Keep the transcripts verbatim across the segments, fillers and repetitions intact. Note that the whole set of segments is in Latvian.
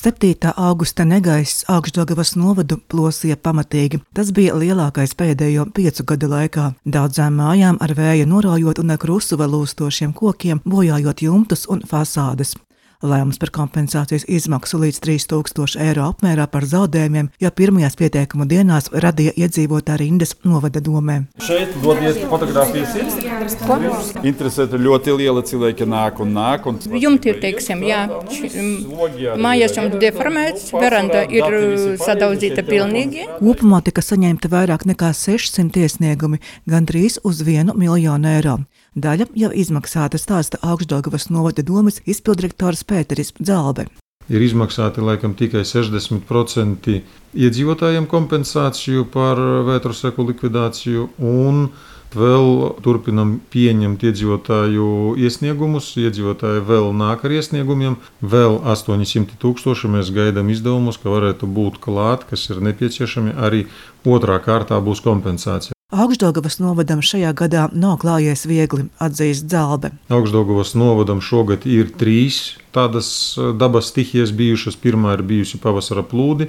septītā augusta negaiss Augšdaugavas novadu plosīja pamatīgi. Tas bija lielākais pēdējo piecu gadu laikā. Daudzām mājām ar vēju noraujot un ar krusu vēl lūstošiem kokiem, bojājot jumtus un fasādes. Lēmums par kompensācijas izmaksu līdz trīs tūkstoši eiro apmērā par zaudējumiem jau pirmajās pieteikumu dienās radīja iedzīvotāju rindas novada domē. Šeit dodies fotogrāfijas ir. Interesēta ļoti liela cilvēki nāk un nāk. Un... Jumti ir, teiksim, jā. Mājas jums deformēts, veranda ir sadauzīta pilnīgi. Kopumā tika saņemta vairāk nekā sešsimt iesniegumi, gandrīz uz vienu miljonu eiro. Daļa jau izmaksāta, stāsta Augšdaugavas novada domes izpilddirektors Pēteris Dzalbe. Ir izmaksāti laikam tikai sešdesmit procenti iedzīvotājiem kompensāciju par vētruseku likvidāciju un vēl turpinam pieņemt iedzīvotāju iesniegumus. Iedzīvotāji vēl nāk ar iesniegumiem, vēl astoņi simti tūkstoši mēs gaidām izdevumus, ka varētu būt klāt, kas ir nepieciešami, arī otrā kārtā būs kompensācija. Augšdaugavas novadam šajā gadā nav klājies viegli, atzīst Dzalbe. Augšdaugavas novadam šogad ir trīs tādas dabas stihijas bijušas. Pirmā ir bijusi pavasara plūdi,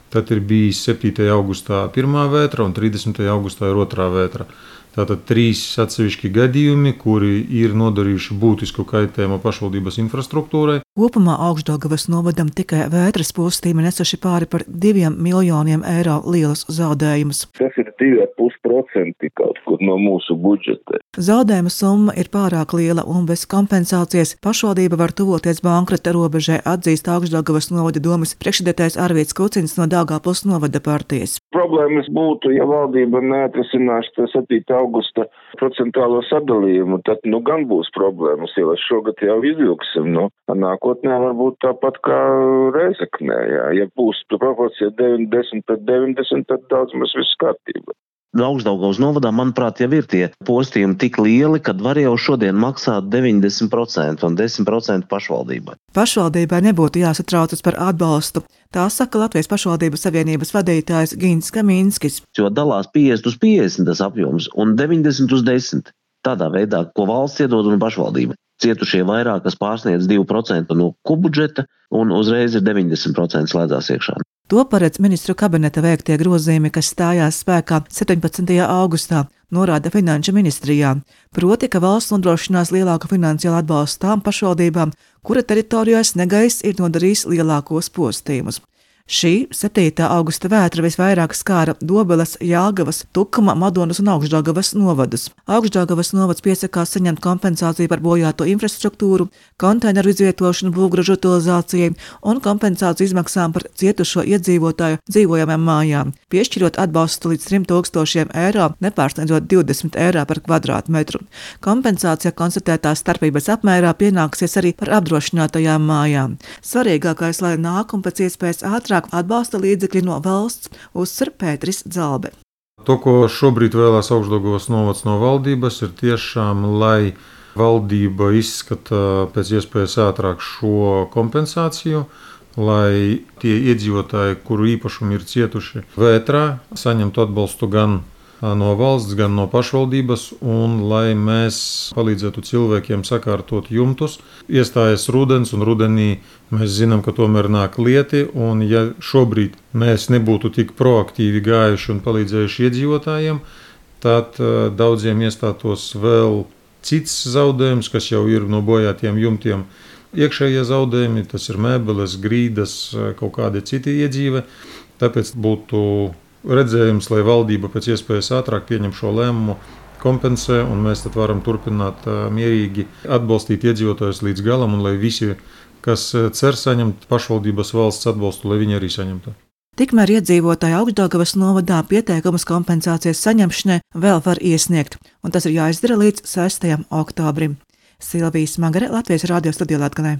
tad ir bijis septītajā augustā pirmā vētra un trīsdesmitajā augustā ir otrā vētra. Tātad trīs atsevišķi gadījumi, kuri ir nodarījuši būtisku kaitējumu pašvaldības infrastruktūrai. Kopumā Augšdaugavas novadam tikai vētras postīmi nesuši pāri par diviem miljoniem eiro lielus zaudējumus. Tas ir divi ar pus procenti kaut kur no mūsu budžeta. Zaudējuma summa ir pārāk liela un bez kompensācijas pašvaldība var tuvoties bankrota robežai, atzīst Augšdaugavas novada domes priekšsēdētājs Arvīds Kucins no Daugavpils novada partijas. Problēmas būtu, ja valdība neatrisinās to septītā augusta procentuālo sadalījumu, tad nu gan būs problēmas, jo šogad jau izvilksim. Nu, nākotnē varbūt tāpat kā Rēzeknē. Jā. Ja būs proporcija deviņdesmit pret deviņdesmit, tad daudz mēs viss kārtībā. Augšdaugavas novadā, manuprāt, jau ir tie postījumi tik lieli, kad var jau šodien maksāt deviņdesmit procenti un desmit procenti pašvaldībai. Pašvaldībai nebūtu jāsatraucas par atbalstu. Tā saka Latvijas pašvaldības savienības vadītājs Gins Kaminskis. Jo dalās piecdesmit uz piecdesmit tas apjoms un deviņdesmit uz desmit. Tādā veidā, ko valsts iedod un pašvaldība. Cietušie vairāk, kas pārsniedz divi procenti no kopbudžeta un uzreiz ir deviņdesmit procenti slēdzās iekšā. To paredz ministru kabineta veiktie grozījumi, kas stājās spēkā septiņpadsmitajā augustā, norāda Finanšu ministrijā. Proti, ka valsts nodrošinās lielāku finansiālu atbalstu tām pašvaldībām, kura teritorijās negaiss ir nodarījis lielākos postījumus. Šī septītā augusta vētra visvairāk skāra Dobeles, Jelgavas, Tukuma, Madonas un Augšdaugavas novadus. Augšdaugavas novads piesakās saņemt kompensāciju par bojāto infrastruktūru, konteineru izvietošanu būvgražu utilizācijai un kompensāciju izmaksām par cietušo iedzīvotāju dzīvojamām mājām, piešķirot atbalstu līdz trim tūkstošiem eiro, nepārsniedzot divdesmit eiro par kvadrātmetru. Kompensācija konstatētās starpības apmērā pienāksies arī par apdrošinātajām mājām. Svarīgākais, lai nāk un pēc iespējas ātrāk atbalsta līdzekļi no valsts, uzsver Pēteris Dzalbe. To, ko šobrīd vēlās Augšdaugavas novads no valdības, ir tiešām, lai valdība izskata pēc iespējas ātrāk šo kompensāciju, lai tie iedzīvotāji, kuru īpašumi ir cietuši vētrā, saņemtu atbalstu gan no valsts, gan no pašvaldības, un lai mēs palīdzētu cilvēkiem sakārtot jumtus. Iestājas rudens, un rudenī mēs zinām, ka tomēr nāk lieti, un ja šobrīd mēs nebūtu tik proaktīvi gājuši un palīdzējuši iedzīvotājiem, tad daudziem iestātos vēl cits zaudējums, kas jau ir no bojātiem jumtiem. Iekšējie zaudējumi, tas ir mēbeles, grīdas, kaut kādi citi iedzīve, tāpēc būtu redzējums, lai valdība pēc iespējas ātrāk pieņem šo lēmumu, kompensē, un mēs tad varam turpināt mierīgi atbalstīt iedzīvotājus līdz galam, un lai visi, kas cer saņemt pašvaldības valsts atbalstu, lai viņi arī saņemtu. Tikmēr iedzīvotāji Augšdaugavas novadā pieteikumus kompensācijas saņemšanai vēl var iesniegt, un tas ir jāizdara līdz sestajam oktobrim. Silvija Smagare, Latvijas radio studijā Latgalē.